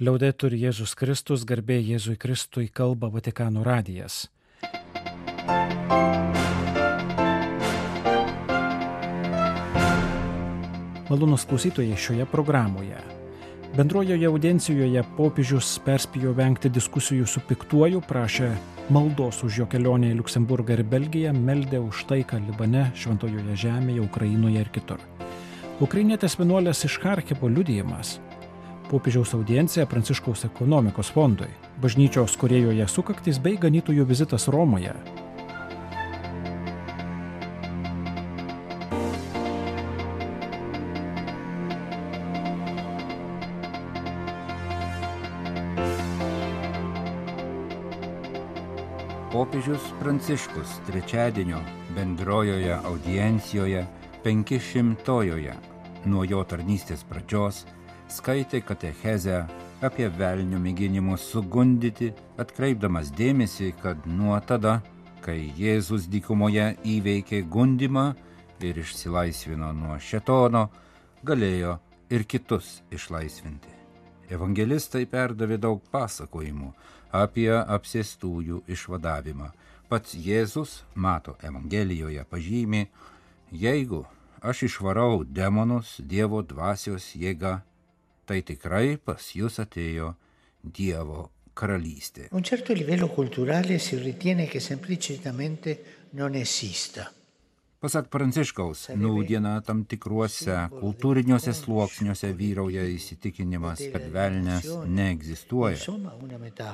Liaudetur Jėzus Kristus, garbė Jėzui Kristui, kalba Vatikano radijas. Malonūs klausytojai šioje programoje. Bendrojoje audiencijoje popiežius perspėjo vengti diskusijų su piktuoju, prašė maldos už jo kelionę į Liuksemburgą ir Belgiją, meldė už taiką Libane, Šventojoje žemėje, Ukrainoje ir kitur. Ukrainietės vienuolės iš Charkivo liudijimas. Popiežiaus audiencija Pranciškaus ekonomikos fondui, bažnyčios Korėjoje sukaktis bei ganytojų vizitas Romoje. Popiežius Pranciškus trečiadienio bendrojoje audiencijoje 500-ojoje nuo jo tarnystės pradžios skaitė katechezę apie velnio mėginimus sugundyti, atkreipdamas dėmesį, kad nuo tada, kai Jėzus dykumoje įveikė gundymą ir išsilaisvino nuo šėtono, galėjo ir kitus išlaisvinti. Evangelistai perdavė daug pasakojimų apie apsėstųjų išvadavimą. Pats Jėzus, Mato Evangelijoje pažymi, jeigu aš išvarau demonus Dievo dvasios jėga, tai tikrai pas jūs atėjo Dievo karalystė. A un certo livello culturale si ritiene che semplicemente non esista. Pasak Pranciškaus, nūdiena tam tikruose kultūriniuose sluoksniuose vyrauja įsitikinimas, kad velnias neegzistuoja,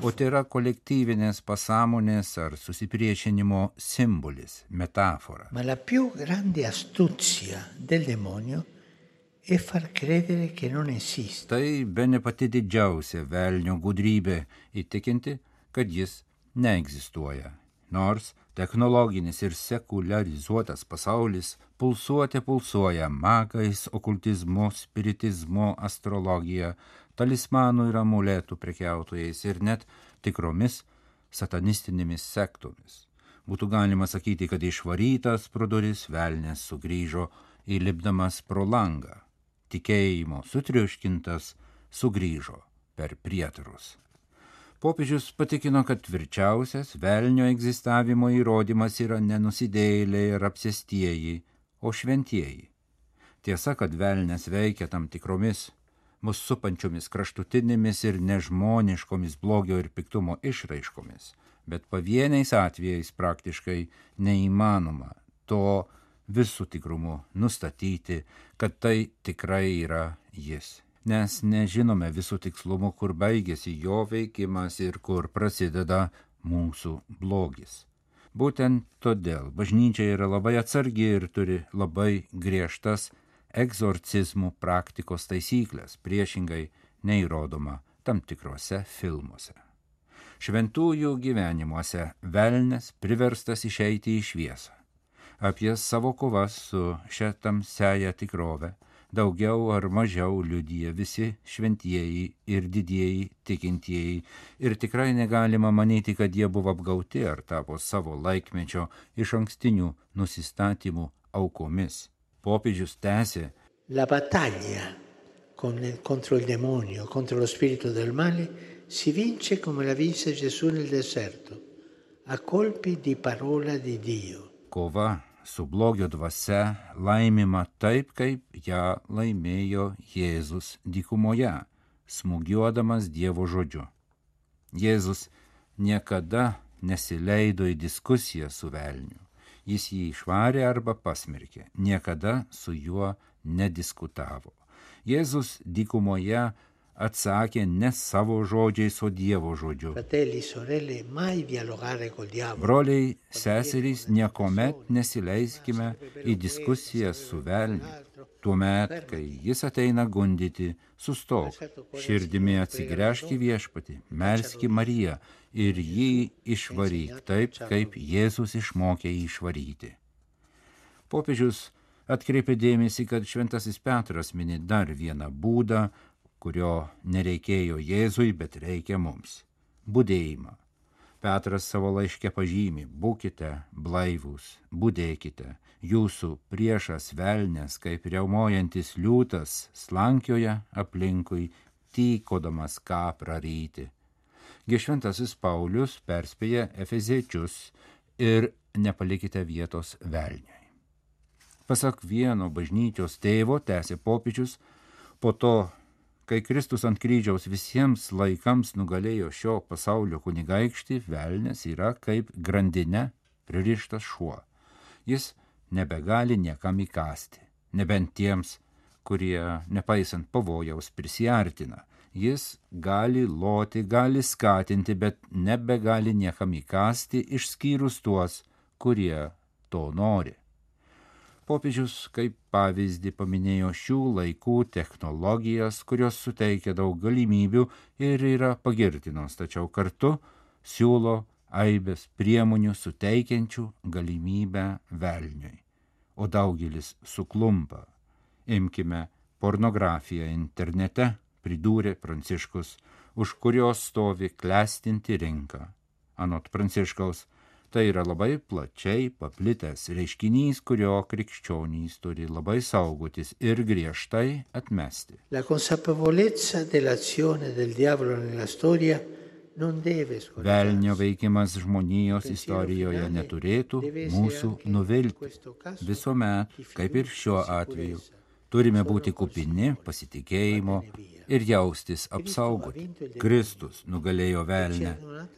o tai yra kolektyvinės pasąmonės ar susipriešinimo simbolis, metafora. Ma la più grande astuzia del demonio è far credere che non esiste. Tai bene pati didžiausia velnio gudrybė įtikinti, kad jis neegzistuoja. Nors technologinis ir sekuliarizuotas pasaulis pulsuoja magais, okultizmu, spiritizmu, astrologija, talismanų ir amuletų prekiautojais ir net tikromis satanistinėmis sektomis. Būtų galima sakyti, kad išvarytas pro duris velnias sugrįžo įlipdamas pro langą. Tikėjimo sutriuškintas sugrįžo per prietarus. Popiežius patikino, kad tvirčiausias velnio egzistavimo įrodymas yra ne nusidėjėliai ir apsėstieji, o šventieji. Tiesa, kad velnias veikia tam tikromis mus supančiomis kraštutinėmis ir nežmoniškomis blogio ir piktumo išraiškomis, bet pavieniais atvejais praktiškai neįmanoma to visų tikrumu nustatyti, kad tai tikrai yra jis. Nes nežinome visų tikslumų, kur baigėsi jo veikimas ir kur prasideda mūsų blogis. Būtent todėl bažnyčia yra labai atsargi ir turi labai griežtas egzorcizmų praktikos taisyklės, priešingai neįrodoma tam tikrose filmuose. Šventųjų gyvenimuose velnias priverstas išeiti į šviesą. Apie savo kovas su šia tamsiaja tikrove daugiau ar mažiau liudija visi šventieji ir didieji tikintieji ir tikrai negalima manyti, kad jie buvo apgauti ar tapo savo laikmečio išankstinių nusistatymų aukomis. Popiežius tęsė: La battaglia contro il demonio, contro lo spirito del male, si vince come la vinse Gesù nel deserto, a colpi di parola di Dio. Kova su blogio dvasia laimima taip, kaip ją laimėjo Jėzus dykumoje, smūgiuodamas Dievo žodžiu. Jėzus niekada nesileido į diskusiją su velniu. Jis jį išvarė arba pasmerkė, niekada su juo nediskutavo. Jėzus dykumoje atsakė ne savo žodžiais, o Dievo žodžiu. Broliai, seserys, niekuomet nesileiskime į diskusiją su velniu. Tuomet, kai jis ateina gundyti, sustok, širdimi atsigręžk į Viešpatį, melski Mariją ir jį išvaryk taip, kaip Jėzus išmokė jį išvaryti. Popiežius atkreipė dėmesį, kad šventasis Petras mini dar vieną būdą, kurio nereikėjo Jėzui, bet reikia mums – budėjimą. Petras savo laiške pažymi: būkite blaivūs, budėkite, jūsų priešas velnias, kaip riaumojantis liūtas, slankioja aplinkui, tykodamas ką praryti. Šventasis Paulius perspėja efeziečius ir nepalikite vietos velniui. Pasak vieno bažnyčios tėvo, tęsė popiežius, po to, kai Kristus ant kryžiaus visiems laikams nugalėjo šio pasaulio kunigaikštį, velnias yra kaip grandinė pririštas šuo. Jis nebegali niekam įkąsti, nebent tiems, kurie, nepaisant pavojaus, prisiartina. Jis gali loti, gali skatinti, bet nebegali niekam įkąsti, išskyrus tuos, kurie to nori. Popiežius kaip pavyzdį paminėjo šių laikų technologijas, kurios suteikia daug galimybių ir yra pagirtinos, tačiau kartu siūlo aibės priemonių suteikiančių galimybę velniui. O daugelis suklumpa. Imkime pornografiją internete, pridūrė Pranciškus, už kurios stovi klestinti rinka. Anot Pranciškaus, tai yra labai plačiai paplitęs reiškinys, kurio krikščionys turi labai saugotis ir griežtai atmesti. La consapevolezza dell'azione del diavolo nella storia non deve scoraggiarci. Velnio veikimas žmonijos istorijoje neturėtų mūsų nuvilti. Visuomet, kaip ir šiuo atveju, turime būti kupini pasitikėjimo ir jaustis apsaugoti. Kristus nugalėjo velnę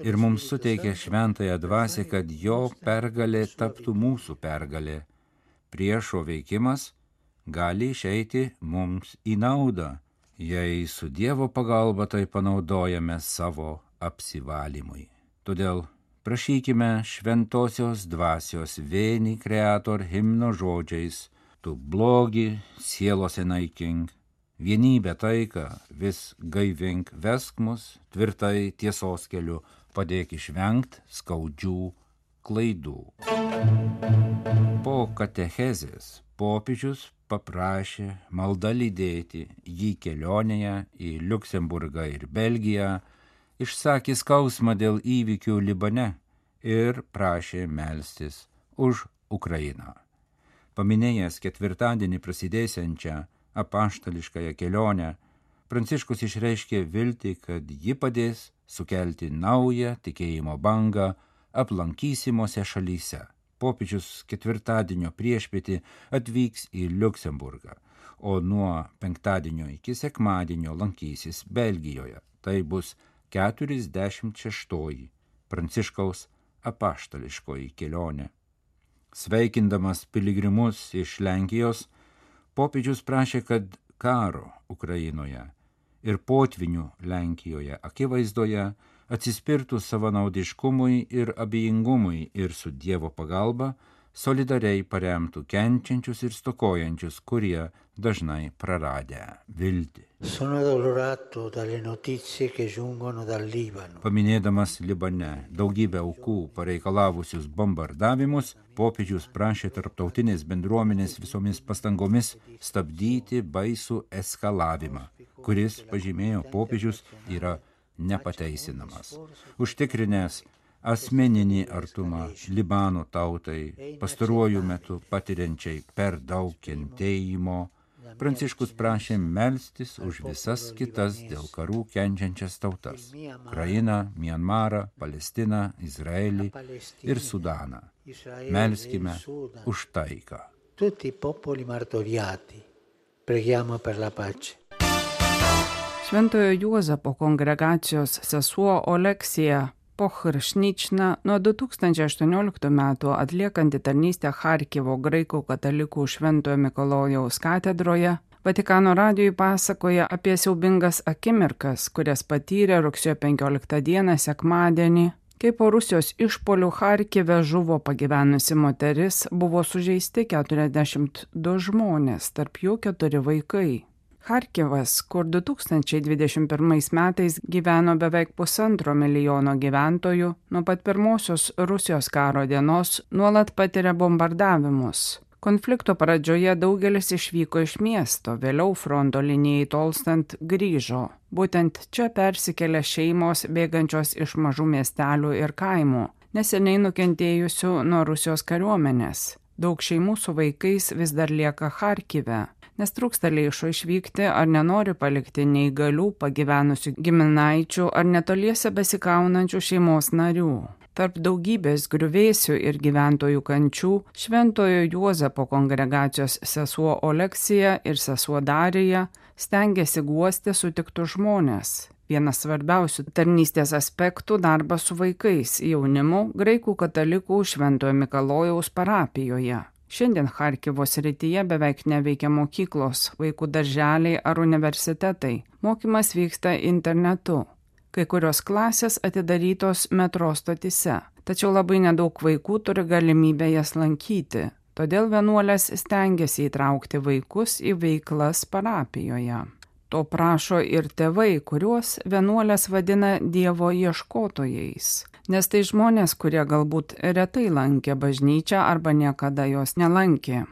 ir mums suteikė šventąją dvasią, kad jo pergalė taptų mūsų pergalė. Priešo veikimas gali išeiti mums į naudą, jei su Dievo pagalba tai panaudojame savo apsivalymui. Todėl prašykime šventosios dvasios Veni Creator himno žodžiais: tu blogį sielose naikink, vienybę taiką vis gaivink, vesk mus tvirtai tiesos keliu, padėk išvengt skaudžių klaidų. Po katechezės popiežius paprašė malda lydėti jį kelionėje į Liuksemburgą ir Belgiją, išsakė skausmą dėl įvykių Libane ir prašė melstis už Ukrainą. Paminėjęs ketvirtadienį prasidėsiančią apaštališkąją kelionę, Pranciškus išreiškė viltį, kad ji padės sukelti naują tikėjimo bangą aplankysimose šalyse. Popiežius ketvirtadienio priešpietį atvyks į Liuksemburgą, o nuo penktadienio iki sekmadienio lankysis Belgijoje. Tai bus 46. Pranciškaus apaštališkoji kelionė. Sveikindamas piligrimus iš Lenkijos, popiežius prašė, kad karo Ukrainoje ir potvinių Lenkijoje akivaizdoje atsispirtų savanaudiškumui ir abejingumui ir su Dievo pagalba solidariai paremtų kenčiančius ir stokojančius, kurie dažnai praradę viltį. Sono addolorato dalle notizie che giungono dal Libano. Paminėdamas Libane daugybę aukų pareikalavusius bombardavimus, popiežius prašė tarptautinės bendruomenės visomis pastangomis stabdyti baisų eskalavimą, kuris, pažymėjo popiežius, yra nepateisinamas. Užtikrinęs asmeninį artumą Libano tautai, pastaruoju metu patiriančiai per daug kentėjimo, Pranciškus prašė melstis už visas kitas dėl karų kenčiančias tautas – Ukrainą, Mianmarą, Palestiną, Izraelį ir Sudaną. Melskime už taiką. Tutti i popoli martoriati, preghiamo per la pace. Šventojo Juozapo kongregacijos sesuo Oleksija Pochršnična nuo 2018 metų atliekanti tarnystę Charkivo graikų katalikų Šventojo Mikalojaus katedroje, Vatikano radijui pasakoja apie siaubingas akimirkas, kurias patyrė rugsėjo 15 dieną sekmadienį, kai po Rusijos išpuolių Charkive žuvo pagyvenusi moteris, buvo sužeisti 42 žmonės, tarp jų 4 vaikai. Charkivas, kur 2021 metais gyveno beveik 1,5 milijono gyventojų, nuo pat pirmosios Rusijos karo dienos nuolat patiria bombardavimus. Konflikto pradžioje daugelis išvyko iš miesto, vėliau fronto linijai tolstant grįžo. Būtent čia persikėlė šeimos bėgančios iš mažų miestelių ir kaimų, neseniai nukentėjusių nuo Rusijos kariuomenės. Daug šeimų su vaikais vis dar lieka Charkive, nes trūksta lėšų išvykti ar nenori palikti neįgalių, pagyvenusių giminaičių ar netoliese besikaunančių šeimos narių. Tarp daugybės griuvėsių ir gyventojų kančių Šventojo Juozapo kongregacijos sesuo Oleksija ir sesuo Darija stengiasi guosti sutiktus žmonės. Vienas svarbiausių tarnystės aspektų – darbas su vaikais, jaunimu, graikų katalikų Šventojo Mikalojaus parapijoje. Šiandien Charkivo srityje beveik neveikia mokyklos, vaikų darželiai ar universitetai. Mokymas vyksta internetu. Kai kurios klasės atidarytos metro stotyse, tačiau labai nedaug vaikų turi galimybę jas lankyti. Todėl vienuolės stengiasi įtraukti vaikus į veiklas parapijoje. To prašo ir tėvai, kuriuos vienuolės vadina Dievo ieškotojais, nes tai žmonės, kurie galbūt retai lankė bažnyčią arba niekada jos nelankė.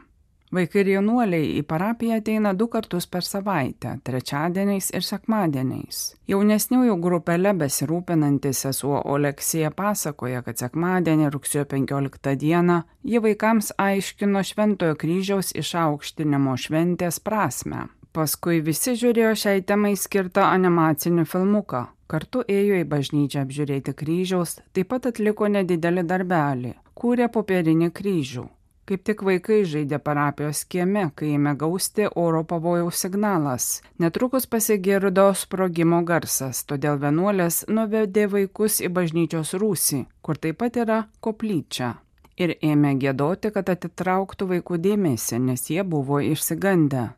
Vaikai ir jaunuoliai į parapiją ateina 2 kartus per savaitę, trečiadieniais ir sekmadieniais. Jaunesniųjų grupelė besirūpinanti sesuo Oleksija pasakoja, kad sekmadienį rugsėjo 15 dieną ji vaikams aiškino Šventojo kryžiaus išaukštinimo šventės prasmę. Paskui visi žiūrėjo šiai temai skirtą animacinį filmuką. Kartu ėjo į bažnyčią apžiūrėti kryžiaus, taip pat atliko nedidelį darbelį, kūrė popierinį kryžių. Kaip tik vaikai žaidė parapijos kieme, kai ėmė gausti oro pavojaus signalas. Netrukus pasigirdo sprogimo garsas, todėl vienuolės nuvedė vaikus į bažnyčios rūsį, kur taip pat yra koplyčia. Ir ėmė giedoti, kad atitrauktų vaikų dėmesį, nes jie buvo išsigandę.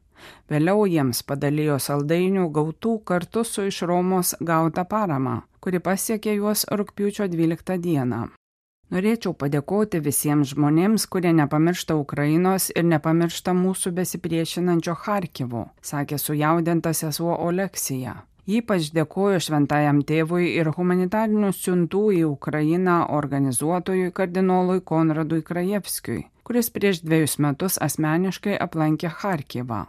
Vėliau jiems padalijo saldainių gautų kartu su iš Romos gauta parama, kuri pasiekė juos rugpjūčio 12 dieną. Norėčiau padėkoti visiems žmonėms, kurie nepamiršta Ukrainos ir nepamiršta mūsų besipriešinančio Charkivo, sakė sujaudinta sesuo Oleksija. Ypač dėkoju šventajam tėvui ir humanitarinių siuntų į Ukrainą organizuotojui kardinolui Konradui Krajevskiui, kuris prieš 2 metus asmeniškai aplankė Charkivą.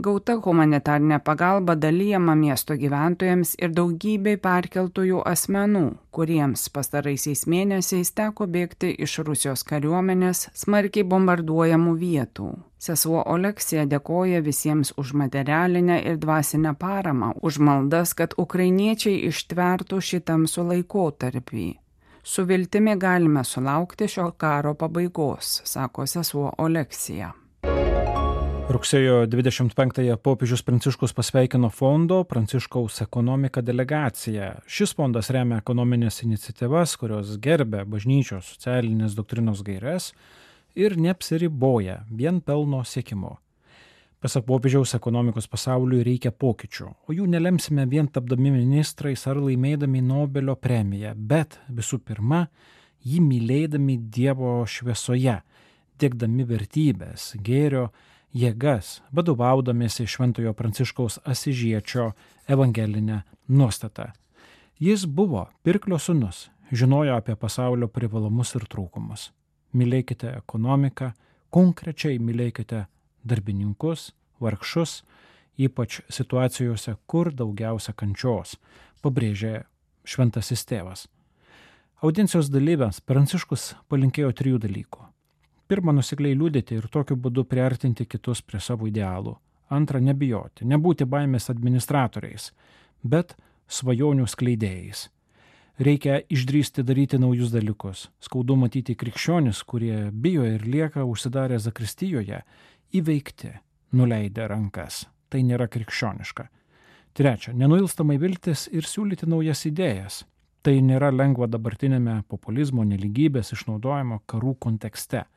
Gauta humanitarinė pagalba dalijama miesto gyventojams ir daugybei perkeltųjų asmenų, kuriems pastaraisiais mėnesiais teko bėgti iš Rusijos kariuomenės smarkiai bombarduojamų vietų. Sesuo Oleksija dėkoja visiems už materialinę ir dvasinę paramą, už maldas, kad ukrainiečiai ištvertų šį tamsų laikotarpį. Su viltimi galime sulaukti šio karo pabaigos, sako sesuo Oleksija. Rugsėjo 25-ąją popiežius Pranciškus pasveikino fondo Pranciškaus ekonomika delegaciją. Šis fondas remia ekonominės iniciatyvas, kurios gerbia bažnyčios socialinės doktrinos gaires ir neapsiriboja vien pelno siekimo. Pasak popiežiaus, ekonomikos pasauliui reikia pokyčių, o jų nelemsime vien tapdami ministrais ar laimėdami Nobelio premiją, bet visų pirma, jį mylėdami Dievo šviesoje, diegdami vertybės, gėrio, jėgas, vadovaudamiesi Šventojo Pranciškaus Asižiečio evangelinę nuostatą. Jis buvo pirklio sūnus, žinojo apie pasaulio privalumus ir trūkumus. Mylėkite ekonomiką, konkrečiai mylėkite darbininkus, vargšus, ypač situacijose, kur daugiausia kančios, pabrėžė šventasis tėvas. Audiencijos dalyviams Pranciškus palinkėjo 3 dalykų. Pirma, nusikliai liudyti ir tokiu būdu priartinti kitus prie savo idealų. Antra, nebijoti, nebūti baimės administratoriais, bet svajonių skleidėjais. Reikia išdrįsti daryti naujus dalykus. Skaudu matyti krikščionis, kurie bijo ir lieka užsidarę zakristijoje, įveikti, nuleidę rankas. Tai nėra krikščioniška. Trečia, nenuilstamai viltis ir siūlyti naujas idėjas. Tai nėra lengva dabartinėme populizmo, nelygybės, išnaudojimo, karų kontekste.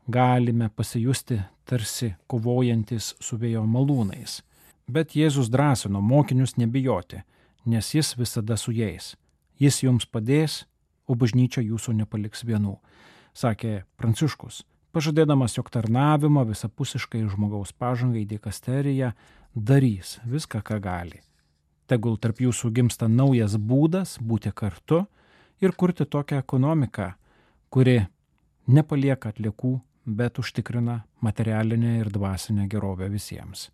Galime pasijusti tarsi kovojantis su vėjo malūnais. Bet Jėzus drąsino mokinius nebijoti, nes jis visada su jais. Jis jums padės, o bažnyčia jūsų nepaliks vienų, sakė Pranciškus, pažadėdamas, jog tarnavimą visapusiškai žmogaus pažangai dikasterija darys viską, ką gali. Tegul tarp jūsų gimsta naujas būdas būti kartu ir kurti tokią ekonomiką, kuri nepalieka atliekų, bet užtikrina materialinę ir dvasinę gerovę visiems,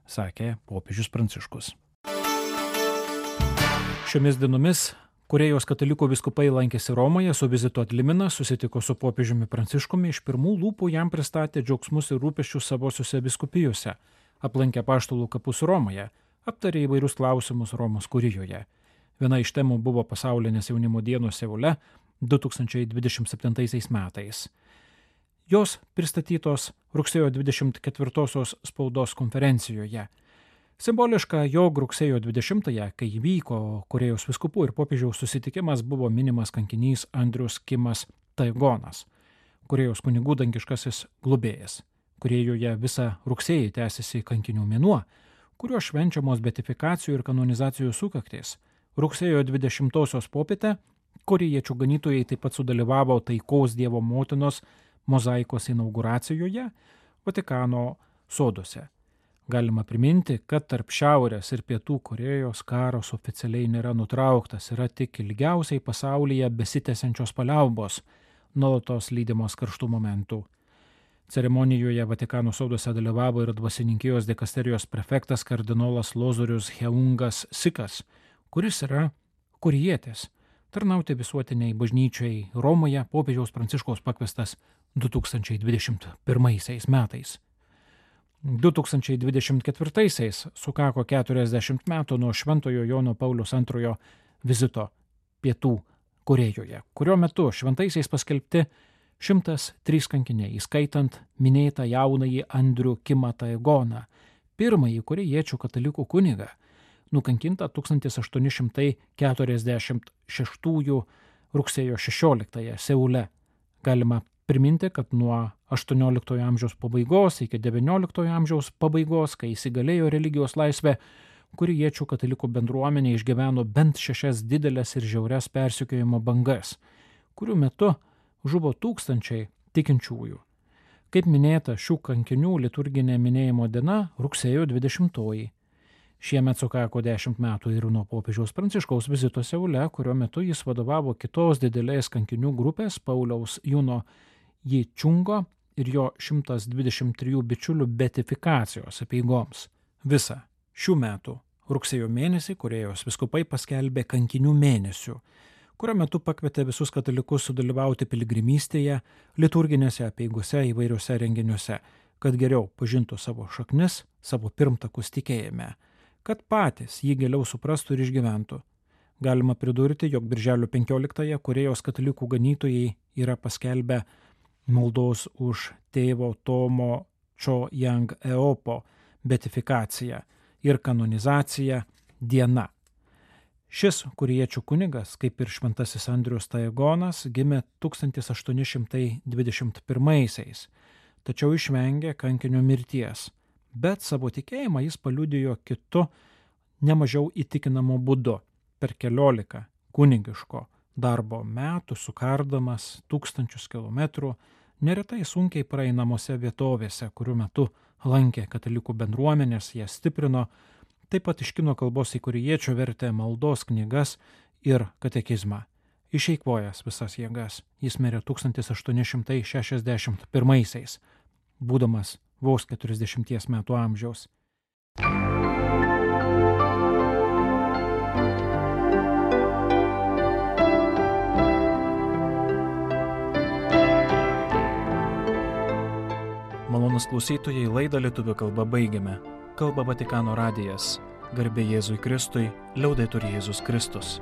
sakė popiežius Pranciškus. Šiomis dienomis Korėjos katalikų vyskupai lankėsi Romoje, su vizitu atlimina, susitiko su popiežiumi Pranciškumi, iš pirmų lūpų jam pristatė džiaugsmus ir rūpesčius savosiuose vyskupijose, aplankė apaštalų kapus Romoje, aptarė įvairius klausimus Romos kurijoje. Viena iš temų buvo pasaulinės jaunimo dienos Seule 2027 metais. Jos pristatytos rugsėjo 24 spaudos konferencijoje. Simboliška, jog rugsėjo 20-ąją, kai įvyko Korėjos vyskupų ir popiežiaus susitikimas, buvo minimas kankinys Andrius Kimas Taegonas, Korėjos kunigų dangiškasis globėjas. Korėjoje visą rugsėjį tęsiasi kankinių mėnuo, kuriuo švenčiamos beatifikacijų ir kanonizacijų sukaktys. Rugsėjo 20-osios popietę korėjiečių ganytojai taip pat sudalyvavo taikos Dievo motinos mozaikos inauguracijoje Vatikano soduose. Galima priminti, kad tarp Šiaurės ir Pietų Korėjos karas oficialiai nėra nutrauktas, yra tik ilgiausiai pasaulyje besitęsiančios paliaubos, nuolatos lydimos karštų momentų. Ceremonijoje Vatikano soduose dalyvavo ir dvasininkijos dikasterijos prefektas kardinolas Lozorius Heungas Sikas, kuris yra korėjietis, tarnauti visuotiniai bažnyčiai Romoje popiežiaus Pranciškaus pakviestas 2021 metais. 2024 sukako 40 metų nuo Šventojo Jono Pauliaus II vizito Pietų Korėjoje, kurio metu šventaisiais paskelbti 103 kankiniai, įskaitant minėtą jaunąjį Andrių Kimą Taegoną, pirmąjį korėjiečių katalikų kunigą, nukankintą 1846 rugsėjo 16 Seule. Galima priminti, kad nuo 18 amžiaus pabaigos iki 19 amžiaus pabaigos, kai įsigalėjo religijos laisvė, korėjiečių katalikų bendruomenė išgyveno bent 6 didelės ir žiaurias persekiojimo bangas, kurių metu žuvo tūkstančiai tikinčiųjų. Kaip minėta, šių kankinių liturginė minėjimo diena rugsėjo 20. Šiemet sukako 10 metų ir nuo popiežiaus Pranciškaus vizito Seule, kurio metu jis vadovavo kitos didelės kankinių grupės Pauliaus Juno Jičungo ir jo 123 bičiulių beatifikacijos apeigoms. Visą šių metų rugsėjo mėnesį Korėjos vyskupai paskelbė kankinių mėnesių, kurio metu pakvietė visus katalikus sudalyvauti piligrimystėje, liturginėse apeigose įvairiuose renginiuose, kad geriau pažintų savo šaknis, savo pirmtakus tikėjime, kad patys jį giliau suprastų ir išgyventų. Galima pridurti, jog birželio 15-ąją Korėjos katalikų ganytojai yra paskelbę maldos už tėvo Tomo Cho Yang Eopo beatifikaciją ir kanonizaciją diena. Šis korėjiečių kunigas, kaip ir šventasis Andrius Taegonas, gimė 1821, tačiau išvengė kankinio mirties, bet savo tikėjimą jis paliudijo kitu nemažiau įtikinamu būdu per 14 kunigiško darbo metų sukardamas tūkstančius kilometrų, neretai sunkiai praeinamose vietovėse, kurių metu lankė katalikų bendruomenės, jas stiprino, taip pat iš kinų kalbos į korėjiečių vertė maldos knygas ir katekizmą. Išeikvojęs visas jėgas, jis mirė 1861, būdamas vos 40 metų amžiaus. Malonūs klausytojai, laidą lietuvių kalba baigiame. Kalba Vatikano radijas. Garbė Jėzui Kristui, liaudetur Jėzus Kristus.